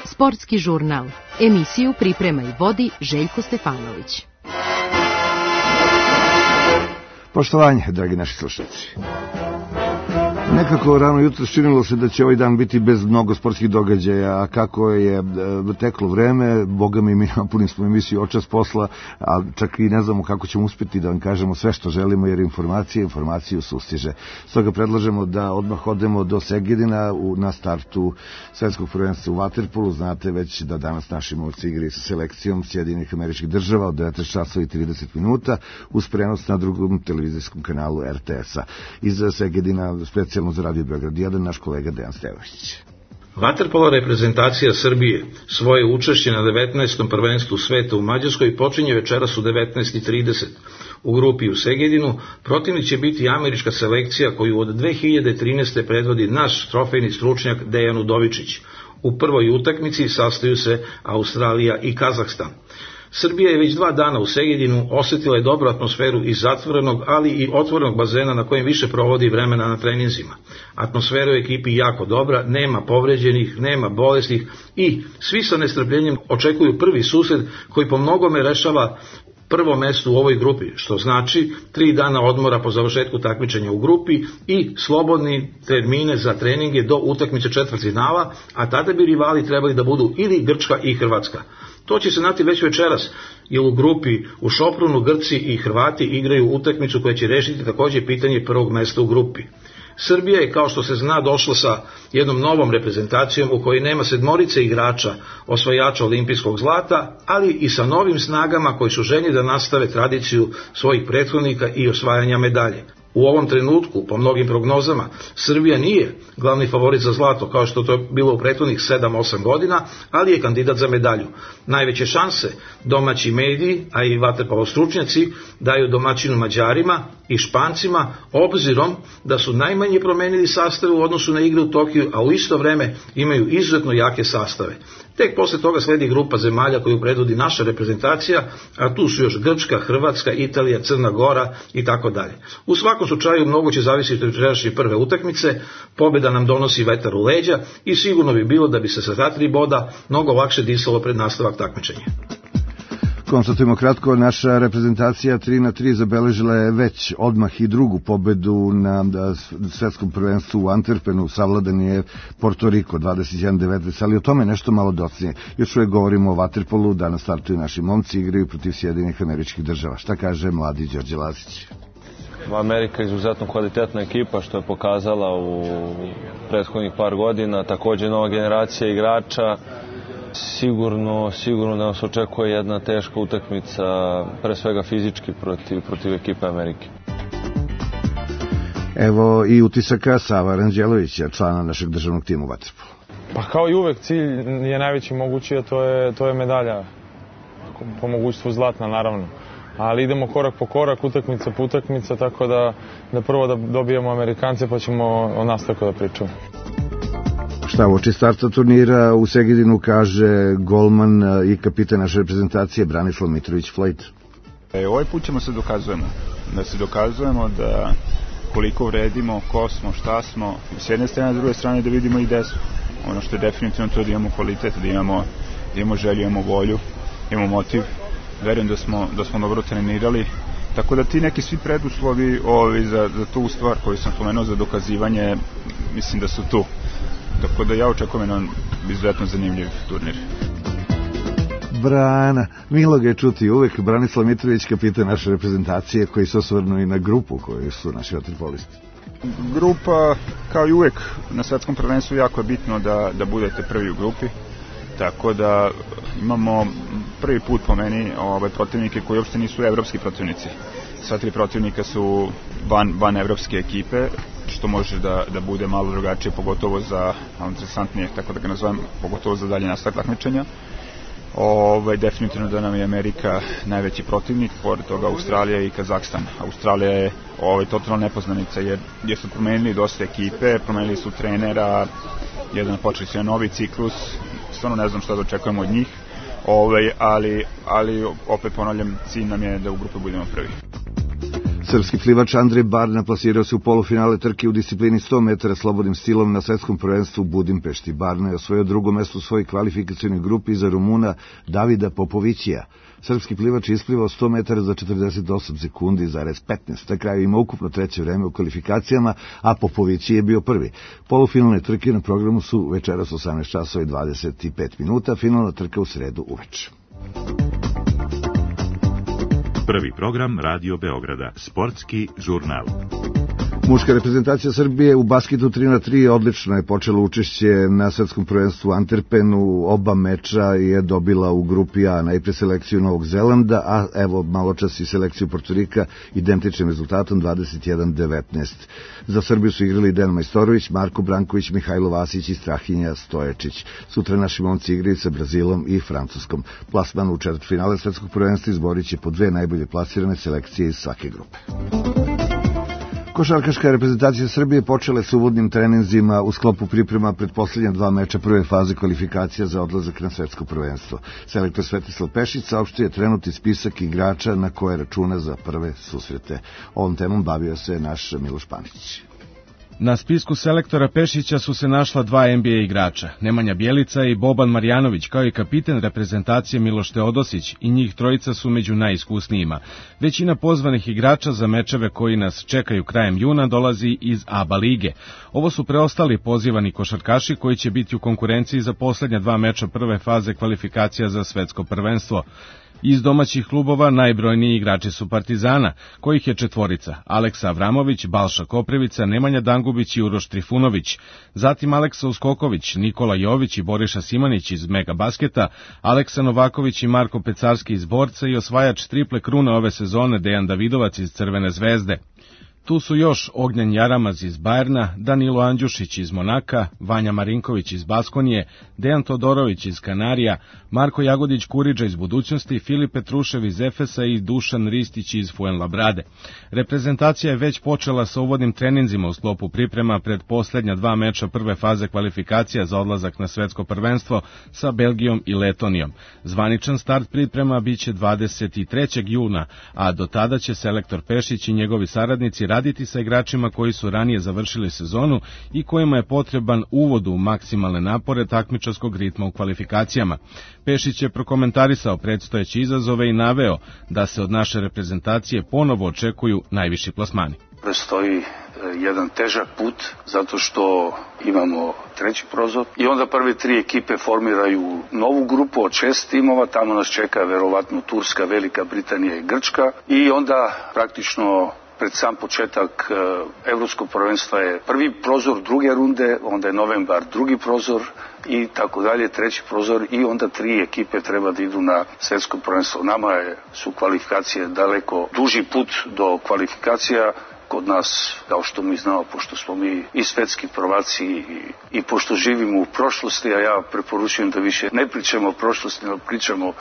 Sportski žurnal. Emisiju priprema i vodi Željko Stefanović. Poštovanje, dragi naši slušalci. Nekako rano jutro činilo se da će ovaj dan biti bez mnogo sportskih događaja, a kako je teklo vreme, boga mi napunili smo emisiju očas posla, a čak i ne znamo kako ćemo uspjeti da vam kažemo sve što želimo, jer informaciju sustiže. Stoga predlažemo da odmah odemo do Segedina na startu svetskog prvenstva u vaterpolu. Znate već da danas naši momci igraju sa selekcijom Sjedinjenih Američkih Država od 19 časova i 30 minuta uz prenos na drugom televizijskom kanalu RTS-a. Iz Segedina specijalno za Radio Beograd 1 naš kolega Dejan Stevašić. Vaterpolo reprezentacija Srbije svoje učešće na 19. prvenstvu sveta u Mađarskoj počinje večeras u 19:30. U grupi u Segedinu protivnik će biti američka selekcija koju od 2013. predvodi naš trofejni stručnjak Dejan Udovičić. U prvoj utakmici sastaju se Australija i Kazahstan. Srbija je već 2 dana u Segedinu, osjetila je dobru atmosferu iz zatvorenog, ali i otvorenog bazena na kojem više provodi vremena na treninzima. Atmosfera u ekipi jako dobra, nema povređenih, nema bolesnih i svi sa nestrpljenjem očekuju prvi susret koji po mnogome rešava prvo mesto u ovoj grupi, što znači 3 dana odmora po završetku takmičenja u grupi i slobodni termine za treninge do utakmice četvrtfinala, a tada bi rivali trebali da budu ili Grčka i Hrvatska. To će se znati već večeras, jer u grupi u Šoprunu Grci i Hrvati igraju utakmicu koja će rešiti također pitanje prvog mesta u grupi. Srbija je, kao što se zna, došla sa jednom novom reprezentacijom u kojoj nema 7 igrača osvajača olimpijskog zlata, ali i sa novim snagama koji su željni da nastave tradiciju svojih prethodnika i osvajanja medalje. U ovom trenutku, po mnogim prognozama, Srbija nije glavni favorit za zlato, kao što to je bilo u prethodnih 7-8 godina, ali je kandidat za medalju. Najveće šanse domaći mediji, a i vaterpolo stručnjaci, daju domaćinu Mađarima i Špancima, obzirom da su najmanje promenili sastave u odnosu na igre u Tokiju, a u isto vreme imaju izuzetno jake sastave. Tek posle toga sledi grupa zemalja koju predvodi naša reprezentacija, a tu su još Grčka, Hrvatska, Italija, Crna Gora i tako dalje. U svakom slučaju mnogo će zavisiti od večerašnje prve utakmice, pobjeda nam donosi vetar u leđa i sigurno bi bilo da bi se sa ta 3 boda mnogo lakše disalo pred nastavak takmičenja. Konstatujemo kratko, naša reprezentacija 3:3 zabeležila je već odmah i drugu pobedu na svetskom prvenstvu u Antwerpenu. Savladan je Porto Riko 21:19, ali o tome nešto malo docnije. Još uvijek govorimo o vaterpolu, danas startuju naši momci, igraju protiv Sjedinjenih Američkih Država. Šta kaže mladi Đorđe Lazić? Amerika je izuzetno kvalitetna ekipa, što je pokazala u prethodnih par godina, također nova generacija igrača. Sigurno da nas očekuje jedna teška utakmica, pre svega fizički protiv ekipe Amerike. Evo i utisaka Sava Ranđelovića, člana našeg državnog tima u vaterpolu. Pa kao i uvek, cilj je najveći mogući, a to je medalja. Po mogućstvu zlatna, naravno. Ali idemo korak po korak, utakmica po utakmica, tako da prvo da dobijemo Amerikance, pa ćemo o nastavku da pričamo. Šta uoči starta turnira u Segedinu kaže golman i kapitan naše reprezentacije Branislav Mitrović-Flajt? Ovaj put ćemo se dokazujemo da koliko vredimo, ko smo, šta smo, s jedne strane, s druge strane da vidimo i gde smo. Ono što je definitivno to da imamo kvalitet, da imamo želju, imamo volju, imamo motiv. Verujem da smo dobro trenirali, tako da ti neki svi preduslovi za tu stvar koju sam spomenuo za dokazivanje, mislim da su tu. Tako da ja očekujem jedan izuzetno zanimljiv turnir. Brana, milo ga je čuti uvek. Branislav Mitrović, kapitan naše reprezentacije, koji se osvrnu i na grupu koju su naši vaterpolisti. Grupa, kao i uvek na svetskom prvenstvu, jako je bitno da budete prvi u grupi. Tako da imamo prvi put po meni protivnike koji uopšte nisu evropski protivnici. Sva 3 protivnika su van evropske ekipe, što može da bude malo drugačije, pogotovo za, interesantnije, tako da ga nazovem, pogotovo za dalje nastavak takmičenja. Definitivno da nam je Amerika najveći protivnik, pored toga Australija i Kazahstan. Australija je totalna nepoznanica jer su promenili dosta ekipe, promenili su trenera, počeli su novi ciklus, stvarno ne znam šta da očekujemo od njih, ali opet ponavljam, cilj nam je da u grupi budemo prvi. Srpski plivač Andrej Barna plasirao se u polufinale trke u disciplini 100 metara slobodnim stilom na svetskom prvenstvu u Budimpešti. Barna je osvojio drugo mesto u svojoj kvalifikacionoj grupi iza Rumuna Davida Popovićija. Srpski plivač je isplivao 100 metara za 48 sekundi zarez 15. Na kraju ima ukupno treće vreme u kvalifikacijama, a Popovići je bio prvi. Polufinalne trke na programu su večeras 18 časova i 25 minuta, finalna trka u sredu uveče. Prvi program Radio Beograda, sportski žurnal. Muška reprezentacija Srbije u basketu 3x3 odlično je počela učešće na svetskom prvenstvu u Antwerpenu. Oba meča je dobila u grupi A, najpre selekciju Novog Zelanda, a evo malo čas i selekciju Portorika identičnim rezultatom 21-19. Za Srbiju su igrali Dejan Majstorović, Marko Branković, Mihajlo Vasić i Strahinja Stoječić. Sutra naši momci igraju sa Brazilom i Francuskom. Plasman u četvrtfinale svetskog prvenstva izborit će po dve najbolje plasirane selekcije iz svake grupe. Košarkaška reprezentacija Srbije počela s uvodnim treninzima u sklopu priprema pred posljednja dva meča prve faze kvalifikacija za odlazak na svetsko prvenstvo. Selektor Svetislav Pešić saopštio je trenutni spisak igrača na koje računa za prve susrete. Ovom temom bavio se naš Miloš Panić. Na spisku selektora Pešića su se našla dva NBA igrača, Nemanja Bjelica i Boban Marjanović, kao i kapiten reprezentacije Miloš Teodosić, i njih trojica su među najiskusnijima. Većina pozvanih igrača za mečeve koji nas čekaju krajem juna dolazi iz ABA lige. Ovo su preostali pozivani košarkaši koji će biti u konkurenciji za posljednja dva meča prve faze kvalifikacija za svetsko prvenstvo. Iz domaćih klubova najbrojniji igrači su Partizana, kojih je četvorica: Aleksa Avramović, Balša Koprivica, Nemanja Dangubić i Uroš Trifunović. Zatim Aleksa Uskoković, Nikola Jović i Boriša Simanić iz Mega Basketa, Aleksa Novaković i Marko Pecarski iz Borca i osvajač triple krune ove sezone Dejan Davidovac iz Crvene zvezde. Tu su još Ognjen Jaramaz iz Bajerna, Danilo Andjušić iz Monaka, Vanja Marinković iz Baskonije, Dejan Todorović iz Kanarija, Marko Jagodić-Kuriđa iz Budućnosti, Filip Petrušev iz Efesa i Dušan Ristić iz Fuenlabrade. Reprezentacija je već počela sa uvodnim treninzima u sklopu priprema pred posljednja dva meča prve faze kvalifikacija za odlazak na svetsko prvenstvo sa Belgijom i Letonijom. Zvaničan start priprema biće 23. juna, a do tada će selektor Pešić i njegovi saradnici raditi sa igračima koji su ranije završili sezonu i kojima je potreban uvod u maksimalne napore takmičarskog ritma u kvalifikacijama. Pešić je prokomentarisao predstojeće izazove i naveo da se od naše reprezentacije ponovo očekuju najviši plasmani. Prestoji jedan težak put zato što imamo treći prozor i onda prve tri ekipe formiraju novu grupu od 6 timova, tamo nas čeka verovatno Turska, Velika Britanija i Grčka i onda praktično pred sam početak evropskog prvenstva je prvi prozor druge runde, onda je novembar drugi prozor i tako dalje, treći prozor i onda tri ekipe treba da idu na svetsko prvenstvo. Nama su kvalifikacije daleko duži put do kvalifikacija. Kod nas, kao što mi znamo, pošto smo mi i svetski prvaci i pošto živimo u prošlosti, a ja preporučujem da više ne pričamo o prošlosti, nego pričamo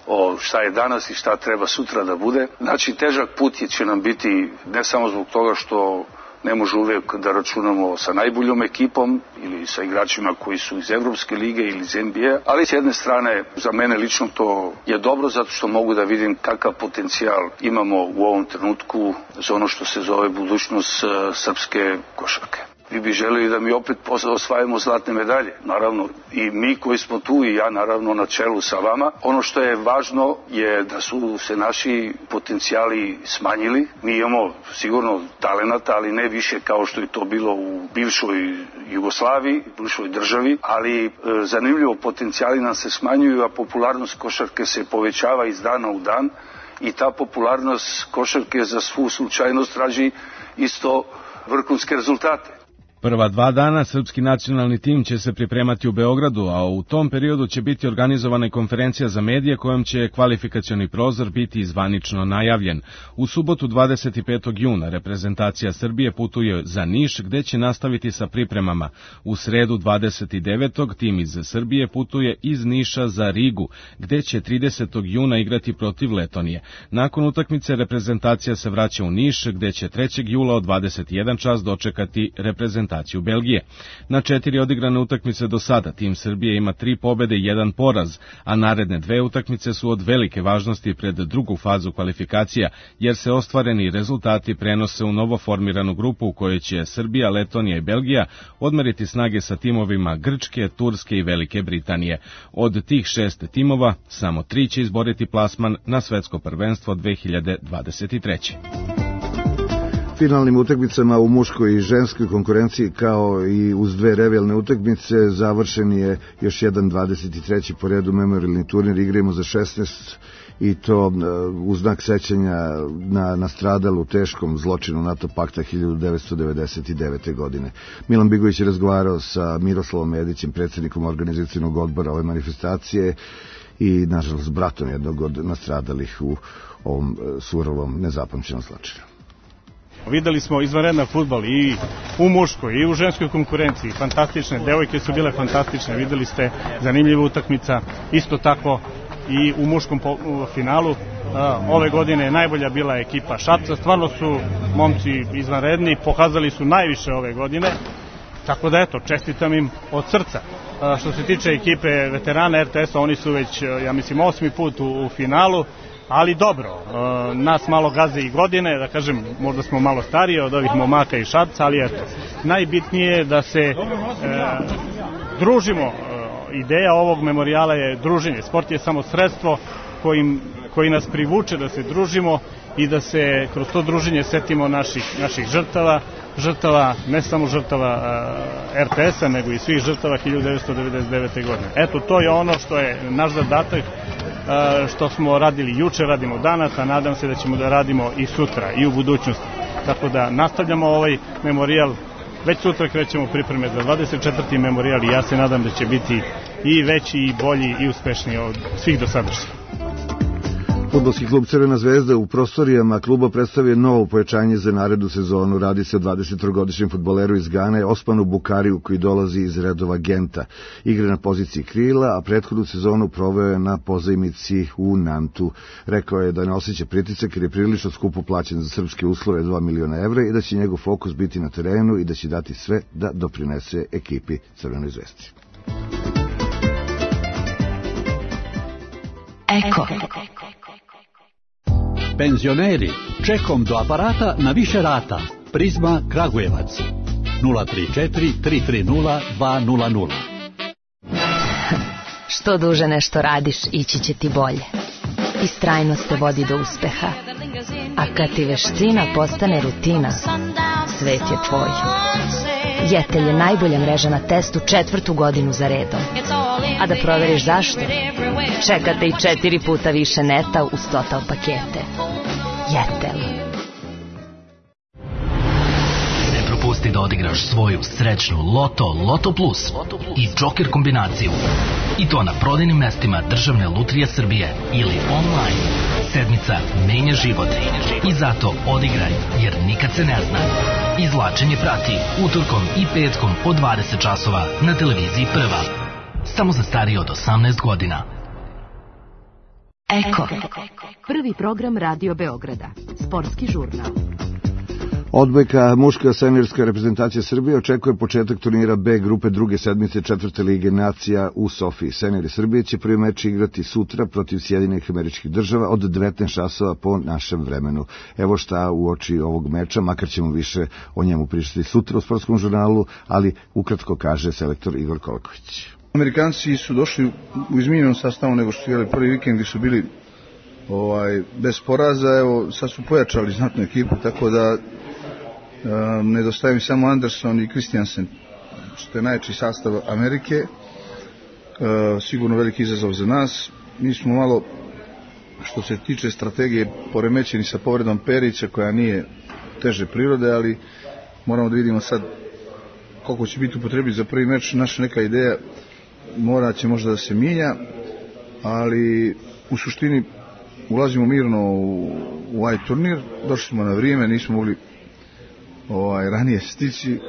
o šta je danas i šta treba sutra da bude. Znači, težak put će nam biti ne samo zbog toga što ne može uvijek da računamo sa najboljom ekipom ili sa igračima koji su iz Evropske lige ili iz NBA, ali s jedne strane za mene lično to je dobro zato što mogu da vidim kakav potencijal imamo u ovom trenutku za ono što se zove budućnost srpske košarke. Vi bi želeli da mi opet osvajamo zlatne medalje, naravno i mi koji smo tu i ja naravno na čelu sa vama. Ono što je važno je da su se naši potencijali smanjili. Mi imamo sigurno talenata, ali ne više kao što je to bilo u bivšoj Jugoslaviji, bivšoj državi, ali zanimljivo potencijali nam se smanjuju, a popularnost košarke se povećava iz dana u dan i ta popularnost košarke za svu slučajnost traži isto vrhunske rezultate. Prva dva dana srpski nacionalni tim će se pripremati u Beogradu, a u tom periodu će biti organizovana i konferencija za medije kojom će kvalifikacioni prozor biti zvanično najavljen. U subotu 25. juna reprezentacija Srbije putuje za Niš gde će nastaviti sa pripremama. U sredu 29. tim iz Srbije putuje iz Niša za Rigu gde će 30. juna igrati protiv Letonije. Nakon utakmice reprezentacija se vraća u Niš gde će 3. jula od 21 čas dočekati reprezentaciju reprezentaciju Belgije. Na 4 odigrane utakmice do sada tim Srbije ima 3 pobede i 1 poraz, a naredne 2 utakmice su od velike važnosti pred drugu fazu kvalifikacija, jer se ostvareni rezultati prenose u novo formiranu grupu u kojoj će Srbija, Letonija i Belgija odmeriti snage sa timovima Grčke, Turske i Velike Britanije. Od tih 6 timova, samo 3 će izboriti plasman na svetsko prvenstvo 2023. Finalnim utakmicama u muškoj i ženskoj konkurenciji, kao i uz 2 revijalne utakmice, završen je još jedan 23. po redu memorialni turnir Igrajmo za 16, i to u znak sećanja na nastradalu teškom zločinu NATO pakta 1999. godine. Milan Bigović je razgovarao sa Miroslavom Medićem, predsjednikom organizacijnog odbora ove manifestacije i, nažalost, bratom jednog od nastradalih u ovom surovom, nezapamćenom zločinu. Videli smo izvanredan fudbal i u muškoj i u ženskoj konkurenciji, fantastične, devojke su bile fantastične, videli ste zanimljiva utakmica, isto tako i u muškom finalu. Ove godine najbolja bila ekipa Šapca, stvarno su momci izvanredni, pokazali su najviše ove godine, tako da eto, čestitam im od srca. Što se tiče ekipe veterana RTS-a, oni su već, ja mislim, 8. put u finalu, ali dobro, nas malo gaze i godine, da kažem, možda smo malo stariji od ovih momaka i Šapca, ali eto, najbitnije je da se družimo. Ideja ovog memorijala je druženje. Sport je samo sredstvo koji nas privuče da se družimo i da se kroz to druženje setimo naših žrtava, ne samo žrtava RTS-a, nego i svih žrtava 1999. godine. Eto, to je ono što je naš zadatak, što smo radili juče, radimo danas, a nadam se da ćemo da radimo i sutra i u budućnosti. Tako da nastavljamo ovaj memorijal. Već sutra krećemo pripreme za 24. memorijal i ja se nadam da će biti i veći i bolji i uspešniji od svih dosadašnjih. Fudbalski klub Crvena zvezda u prostorijama kluba predstavio novo pojačanje za narednu sezonu. Radi se o 23-godišnjem fudbaleru iz Gane, Osmanu Bukariju, koji dolazi iz redova Genta. Igra na poziciji krila, a prethodnu sezonu proveo je na pozajmici u Nantu. Rekao je da ne osjeća pritisak jer je prilično skupo plaćen za srpske uslove, 2 miliona evra, i da će njegov fokus biti na terenu i da će dati sve da doprinese ekipi Crvenoj zvezdi. Eko. Penzioneri, čekom do aparata na više rata. Prizma Kragujevac 034 330 200. Što duže nešto radiš, ići će ti bolje. Istrajnost te vodi do uspeha. A kad ti veština postane rutina, svet je tvoj. Jetel je najbolja mreža na testu 4. godinu za redom. A da proveriš zašto? Čekate i 4 puta više neta uz Total pakete. Jetel. Ne propusti da odigraš svoju srećnu Loto Plus i Joker kombinaciju. I to na prodajnim mestima Državne lutrije Srbije ili online. Sedmica menja život. I zato odigraj, jer nikad se ne zna. Izvlačenje prati utorkom i petkom od 20 časova na televiziji Prva. Samo za stariji od 18 godina. Eko. Prvi program Radio Beograda. Sportski žurnal. Odbojka muška seniorska reprezentacija Srbije očekuje početak turnira B grupe druge sedmice 4. lige nacija u Sofiji. Seniori Srbije će prvi meč igrati sutra protiv Sjedinjenih Američkih Država od 19 časova po našem vremenu. Evo šta u oči ovog meča, makar ćemo više o njemu pričati sutra u sportskom žurnalu, ali ukratko kaže selektor Igor Kolaković. Amerikanci su došli u izmijenjenom sastavu nego što su igrali prvi vikend, gdje su bili bez poraza. Evo, sad su pojačali znatnu ekipu, tako da nedostaje mi samo Anderson i Christiansen, što je najjači sastav Amerike. Sigurno veliki izazov za nas. Mi smo malo, što se tiče strategije, poremećeni sa povredom Perića, koja nije teže prirode, ali moramo da vidimo sad koliko će biti upotrebi za prvi meč. Naša neka ideja morat će možda da se mijenja, ali u suštini ulazimo mirno u ovaj turnir. Došli smo na vrijeme, nismo mogli ranije stići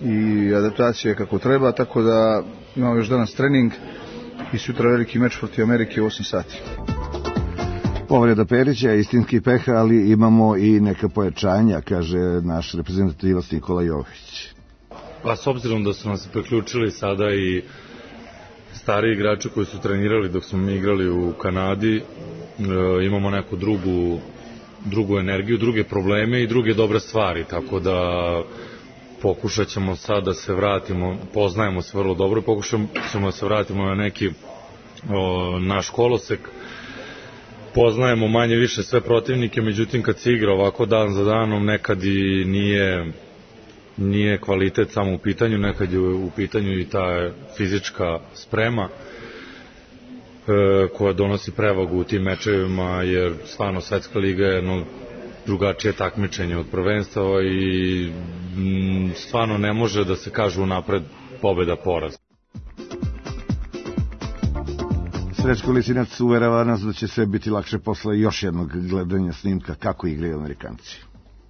i adaptacija kako treba, tako da imamo još danas trening i sutra veliki meč protiv Amerike u 8 sati. Povreda Perića je istinski peha, ali imamo i neka pojačanja, kaže naš reprezentativac Nikola Jović. Pa s obzirom da su nas priključili sada i stari igrači koji su trenirali dok smo mi igrali u Kanadi, imamo neku drugu energiju, druge probleme i druge dobre stvari, tako da pokušat ćemo sad da se vratimo, poznajemo se vrlo dobro, pokušat ćemo da se vratimo na neki naš kolosek, poznajemo manje više sve protivnike, međutim kad se igra ovako dan za danom nekad i nije kvalitet samo u pitanju, nekad je u pitanju i ta fizička sprema koja donosi prevagu u tim mečevima, jer stvarno svetska liga je jedno drugačije takmičenje od prvenstava i stvarno ne može da se kaže unapred pobeda poraz. Srećko Lisinac uverava nas da će sve biti lakše posle još jednog gledanja snimka kako igraju Amerikanci.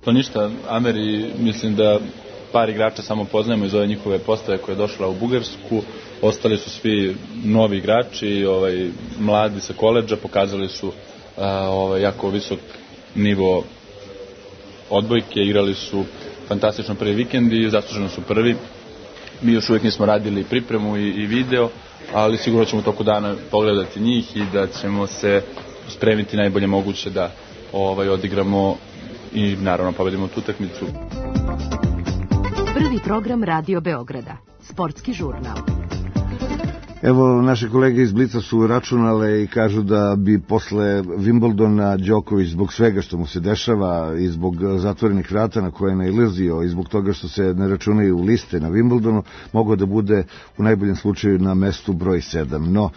To ništa, Ameri, mislim da par igrača samo poznajemo iz ove njihove postave koja je došla u Bugarsku, ostali su svi novi igrači, mladi sa koledža, pokazali su jako visok nivo odbojke, igrali su fantastično prvi vikend i zasluženo su prvi. Mi još uvijek nismo radili pripremu i video, ali sigurno ćemo u toku dana pogledati njih i da ćemo se spremiti najbolje moguće da odigramo i naravno pobedimo tu utakmicu. Prvi program Radio Beograda, sportski žurnal. Evo, naše kolege iz Blica su računale i kažu da bi posle Wimbledona Đoković zbog svega što mu se dešava i zbog zatvorenih vrata na koje je nailazio i zbog toga što se ne računaju liste na Wimbledonu, mogao da bude u najboljem slučaju na mestu broj 7. No,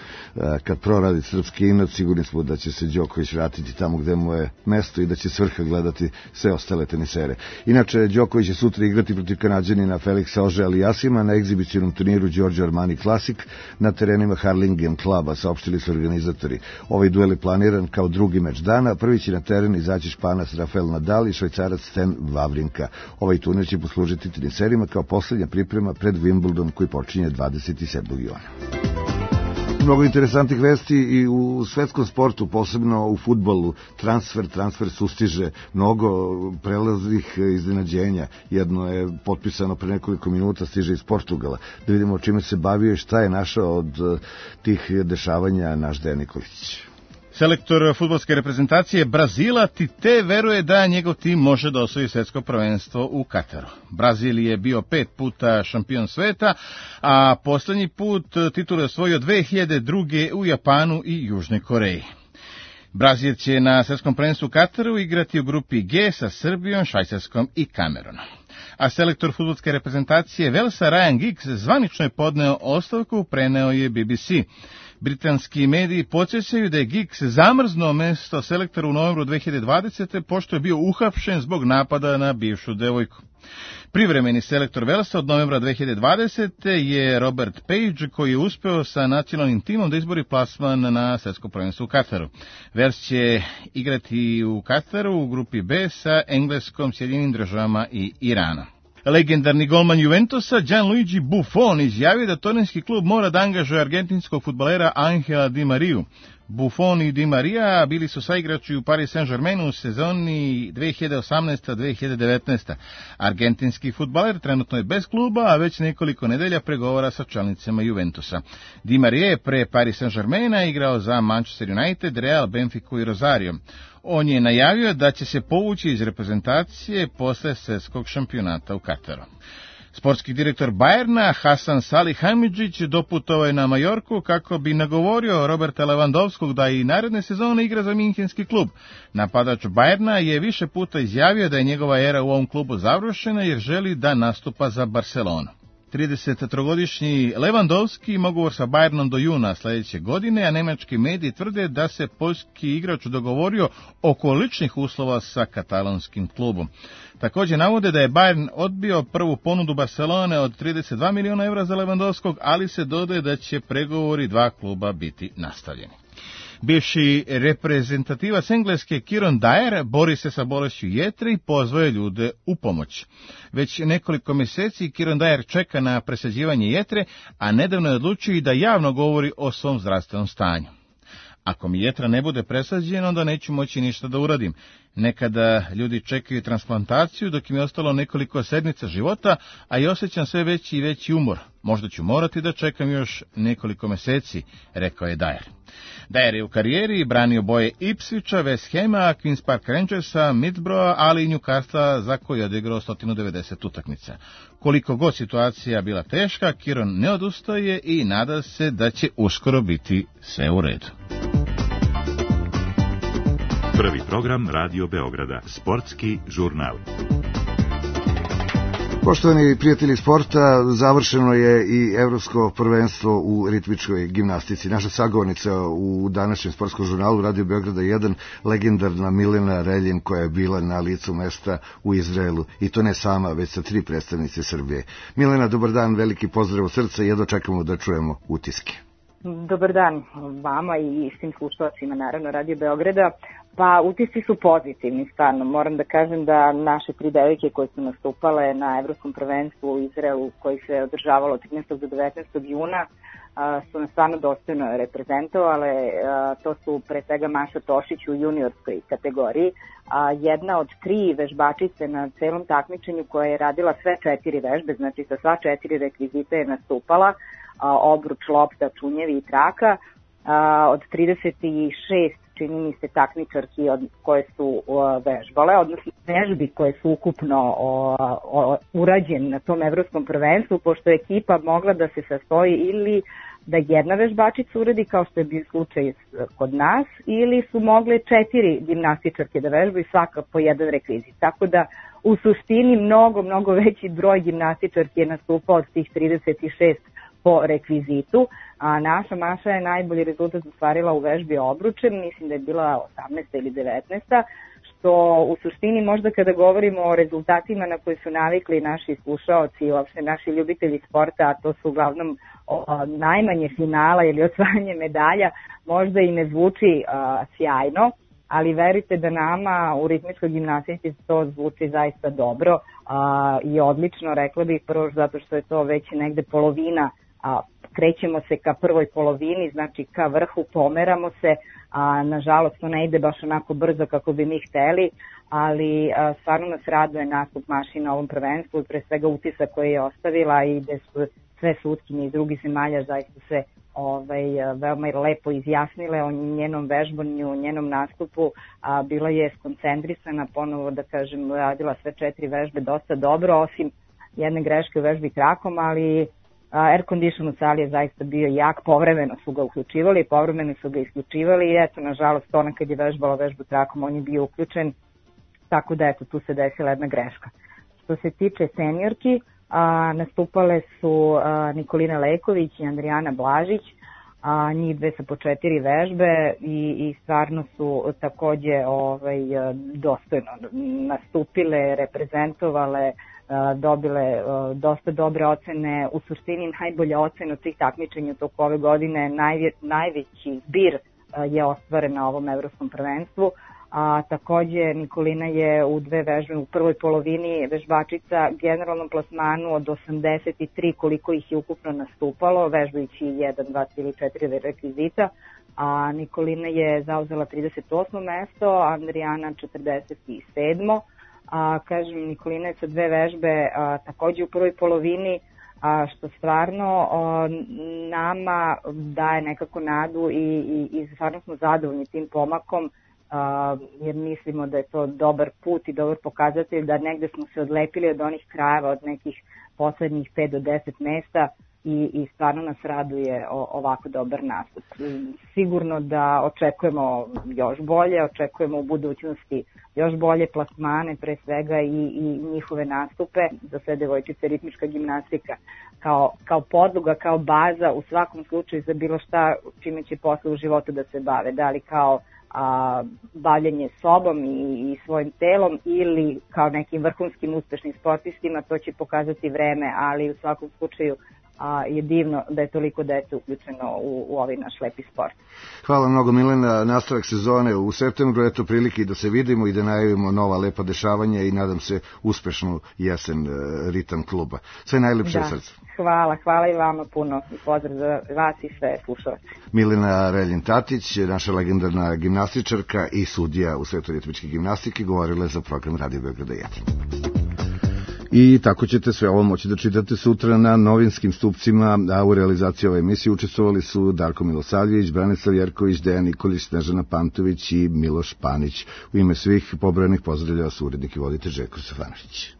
kad proradi srpski inat, sigurni smo da će se Đoković vratiti tamo gde mu je mesto i da će s vrha gledati sve ostale tenisere. Inače, Đoković je sutra igrati protiv Kanađanina Felixa Auger-Aliassima na egzibicionom turniru Giorgio Armani Classic na terenima Harlingen kluba, saopštili su organizatori. Ovaj duel je planiran kao drugi meč dana, prvi će na teren izaći Španac Rafael Nadal i Švajcarac Stan Wawrinka. Ovaj turnir će poslužiti teniserima kao poslednja priprema pred Wimbledon koji počinje 27. juna. Mnogo interesantnih vesti i u svetskom sportu, posebno u fudbalu. Transfer sustiže, mnogo prelaznih iznenađenja. Jedno je potpisano pre nekoliko minuta, stiže iz Portugala. Da vidimo o čime se bavio i šta je našao od tih dešavanja naš Dejan Nikolić. Selektor fudbalske reprezentacije Brazila Tite veruje da njegov tim može da osvoji svetsko prvenstvo u Kataru. Brazil je bio 5 puta šampion sveta, a poslednji put titul je osvojio 2002. u Japanu i Južnoj Koreji. Brazil će na svetskom prvenstvu u Kataru igrati u grupi G sa Srbijom, Švajcarskom i Kamerunom. A selektor fudbalske reprezentacije Velsa Ryan Giggs zvanično je podneo ostavku, preneo je BBC. Britanski mediji podsjećaju da je Giggs zamrznuo mesto selektora u novembru 2020. pošto je bio uhapšen zbog napada na bivšu devojku. Privremeni selektor Velsa od novembra 2020. je Robert Page, koji je uspeo sa nacionalnim timom da izbori plasman na svjetsko prvenstvo u Kataru. Vels će igrati u Kataru u grupi B sa Engleskom, Sjedinjenim Državama i Iranom. Legendarni golman Juventusa Gianluigi Buffon izjavio da tornejski klub mora da angažuje argentinskog fudbalera Angela Di Mariju. Buffon i Di Marija bili su saigrači u Paris Saint-Germainu u sezoni 2018-2019. Argentinski fudbaler trenutno je bez kluba, a već nekoliko nedelja pregovara sa čelnicama Juventusa. Di Marija je pre Paris Saint-Germaina igrao za Manchester United, Real, Benfiku i Rosario. On je najavio da će se povući iz reprezentacije posle svjetskog šampionata u Kataru. Sportski direktor Bayerna Hasan Salihamidzić doputovao je na Majorku kako bi nagovorio Roberta Lewandowskog da i naredne sezone igra za minhenski klub. Napadač Bayerna je više puta izjavio da je njegova era u ovom klubu završena jer želi da nastupa za Barcelonu. 33-godišnji Lewandowski ima ugovor sa Bayernom do juna sledeće godine, a nemački mediji tvrde da se poljski igrač dogovorio oko ličnih uslova sa katalonskim klubom. Također navode da je Bayern odbio prvu ponudu Barcelone od 32 miliona evra za Lewandowskog, ali se dodaje da će pregovori dva kluba biti nastavljeni. Bivši reprezentativac Engleske Kieran Dyer bori se sa bolešću jetre i pozvao je ljude u pomoć. Već nekoliko mjeseci Kieran Dyer čeka na presađivanje jetre, a nedavno je odlučio i da javno govori o svom zdravstvenom stanju. Ako mi jetra ne bude presađena, onda neću moći ništa da uradim. Nekada ljudi čekaju transplantaciju dok im je ostalo nekoliko sedmica života, a i osjećam sve veći i veći umor. Možda ću morati da čekam još nekoliko meseci, rekao je Dyer. Dyer je u karijeri branio boje Ipswicha, West Hama, Queen's Park Rangersa, Middlesbrougha, ali i Newcastle za koji je odigrao 190 utakmica. Koliko god situacija bila teška, Kieron ne odustaje i nada se da će uskoro biti sve u redu. Prvi program Radio Beograda, sportski žurnal. Poštovani prijatelji sporta, završeno je i evropsko prvenstvo u ritmičkoj gimnastici. Naša sagovornica u današnjem sportskom žurnalu Radio Beograda 1, legendarna Milena Reljin, koja je bila na licu mesta u Izraelu. I to ne sama, već sa 3 predstavnice Srbije. Milena, dobar dan, veliki pozdrav od srca i jedno čekamo da čujemo utiske. Dobar dan vama i svim slušalcima, naravno, Radio Beograda. Pa utisci su pozitivni, stvarno. Moram da kažem da naše 3 devojke koje su nastupale na evropskom prvenstvu u Izraelu, koji se održavalo od 13. do 19. juna, su nas stvarno dostojno reprezentovale. To su pre svega Maša Tošić u juniorskoj kategoriji, jedna od 3 vežbačice na celom takmičenju koja je radila sve 4 vežbe, znači sa sva 4 rekvizita je nastupala, obruč, lopta, čunjevi i traka, od 36 čini mi se takmičarki koje su vežbale, odnosno vežbi koje su ukupno urađene na tom evropskom prvenstvu, pošto je ekipa mogla da se sastoji ili da jedna vežbačica uradi, kao što je bio slučaj kod nas, ili su mogle 4 gimnastičarke da vežbaju, svaka po jedan rekvizit. Tako da u suštini mnogo veći broj gimnastičarki je nastupao od tih 36 po rekvizitu, a naša Maša je najbolji rezultat ostvarila u vežbi obručem, mislim da je bila 18. ili 19. što u suštini možda kada govorimo o rezultatima na koje su navikli naši slušaoci i uopšte naši ljubitelji sporta, a to su uglavnom najmanje finala ili osvajanje medalja, možda i ne zvuči sjajno, ali verujte da nama u ritmičkoj gimnastici to zvuči zaista dobro i odlično, rekla bih, prvo zato što je to već negde polovina, krećemo se ka prvoj polovini, znači ka vrhu, pomeramo se, nažalost to ne ide baš onako brzo kako bi mi hteli, ali stvarno nas raduje nastup Maši na ovom prvenstvu i pre svega utisak koji je ostavila i gde su sve sutkinje iz drugih zemalja zaista se veoma lepo izjasnile o njenom vežbanju, njenom nastupu, bila je skoncentrisana, ponovo da kažem, radila sve 4 vežbe dosta dobro, osim jedne greške u vežbi trakom, ali air condition u sali je zaista bio jak, povremeno su ga uključivali, povremeno su ga isključivali i eto, nažalost, ona kad je vežbala vežbu trakom, on je bio uključen, tako da eto, tu se desila jedna greška. Što se tiče seniorki, nastupale su Nikolina Leković i Andrijana Blažić, njih dve sa po 4 vežbe i stvarno su takođe dostojno nastupile, reprezentovale, dobile dosta dobre ocene. U suštini najbolja ocena od tih takmičenja toko ove godine, najveći zbir je ostvaren na ovom evropskom prvenstvu. Takođe Nikolina je u 2 vežbe u prvoj polovini vežbačica generalnom plasmanu od 83 koliko ih je ukupno nastupalo, vežbajući 1, 2, 3 ili 4 rekvizita. Nikolina je zauzela 38. mesto, Andrijana 47. Kažem, Nikolina je sa 2 vežbe takođe u prvoj polovini, što stvarno nama daje nekako nadu i stvarno smo zadovoljni tim pomakom, jer mislimo da je to dobar put i dobar pokazatelj da negde smo se odlepili od onih krajeva, od nekih poslednjih 5 do 10 mesta i stvarno nas raduje ovako dobar nastup. Sigurno da očekujemo još bolje, očekujemo u budućnosti još bolje plasmane, pre svega i njihove nastupe. Za sve devojčice ritmička gimnastika kao podloga, kao baza u svakom slučaju za bilo šta čime će posle u životu da se bave, da li kao bavljenje sobom i svojim telom ili kao nekim vrhunskim uspešnim sportistima, to će pokazati vreme, ali u svakom slučaju je divno da je toliko dece uključeno u ovaj naš lepi sport. Hvala mnogo, Milena. Nastavak sezone u septembru, eto prilike i da se vidimo i da najavimo nova lepa dešavanja i nadam se uspešnu jesen ritam kluba. Sve najlepše od srca. Hvala i vama puno i pozdrav za vas i sve slušalce. Milena Reljin-Tatić, naša legendarna gimnastičarka i sudija u svetu ritmičke gimnastike, govorila je za program Radio Beograda 1. I tako ćete sve ovo moći da čitate sutra na novinskim stupcima, a u realizaciji ove emisije učestvovali su Darko Milosavljević, Branislav Jerković, Dejan Nikolić, Snežana Pantović i Miloš Panić. U ime svih pobrojanih pozdravljava su urednik i voditelj Željko Stefanović.